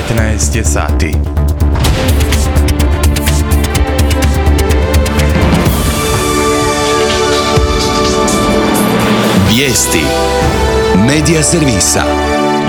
19 je sati. Vijesti Medija servisa.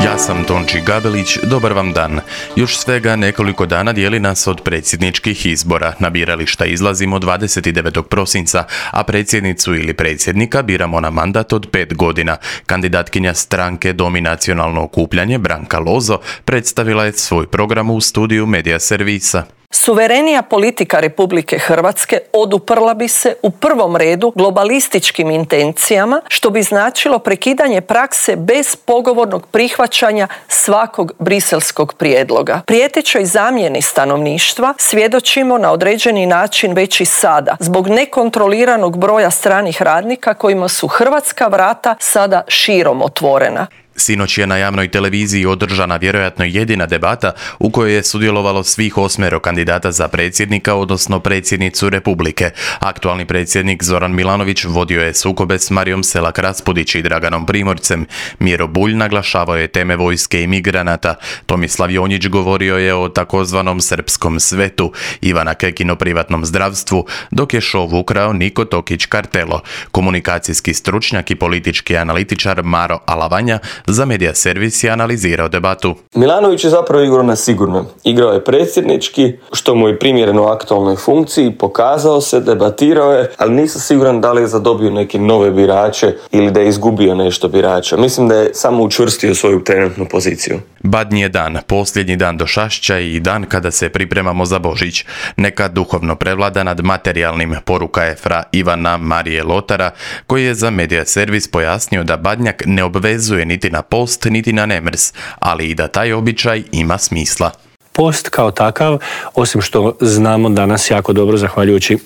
Ja sam Tonči Gabelić, dobar vam dan. Još svega nekoliko dana dijeli nas od predsjedničkih izbora. Na birališta izlazimo 29. prosinca, a predsjednicu ili predsjednika biramo na mandat od 5 godina. Kandidatkinja stranke Dom i nacionalno okupljanje Branka Lozo predstavila je svoj program u studiju Medija servisa. Suverenija politika Republike Hrvatske oduprla bi se u prvom redu globalističkim intencijama, što bi značilo prekidanje prakse bez pogovornog prihvaćanja svakog briselskog prijedloga. Prijetećoj zamjeni stanovništva svjedočimo na određeni način već i sada, zbog nekontroliranog broja stranih radnika kojima su hrvatska vrata sada širom otvorena. Sinoć je na javnoj televiziji održana vjerojatno jedina debata u kojoj je sudjelovalo svih 8 kandidata za predsjednika, odnosno predsjednicu Republike. Aktualni predsjednik Zoran Milanović vodio je sukobe s Marijom Selak Raspudić i Draganom Primorcem. Miro Bulj naglašavao je teme vojske i migranata. Tomislav Jonjić govorio je o takozvanom srpskom svetu, Ivana Kekin o privatnom zdravstvu, dok je šov ukrao Niko Tokić Kartelo. Komunikacijski stručnjak i politički analitičar Maro Alavanja za Medija servis je analizirao debatu. Milanović je zapravo igrao na sigurno. Igrao je predsjednički, što mu je primjereno aktualnoj funkciji, pokazao se, debatirao je, ali nisam siguran da li je zadobio neke nove birače ili da je izgubio nešto birača. Mislim da je samo učvrstio svoju trenutnu poziciju. Badnji je dan, posljednji dan do Šašća i dan kada se pripremamo za Božić. Neka duhovno prevlada nad materijalnim, poruka je fra Ivana Marije Lotara, koji je za Medija servis pojasnio da Badnjak ne obvezuje niti na post, niti na nemrs, ali i da taj običaj ima smisla. Post kao takav, osim što znamo danas jako dobro, zahvaljujući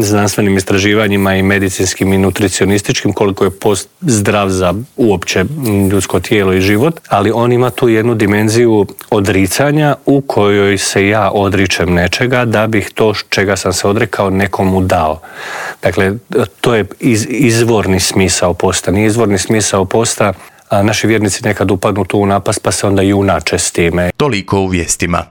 znanstvenim istraživanjima i medicinskim i nutricionističkim, koliko je post zdrav za uopće ljudsko tijelo i život, ali on ima tu jednu dimenziju odricanja u kojoj se ja odričem nečega da bih to čega sam se odrekao nekomu dao. Dakle, to je izvorni smisao posta. Nije izvorni smisao posta naši vjernici nekad upadnu tu u napast pa se onda junače s time. Toliko u vijestima.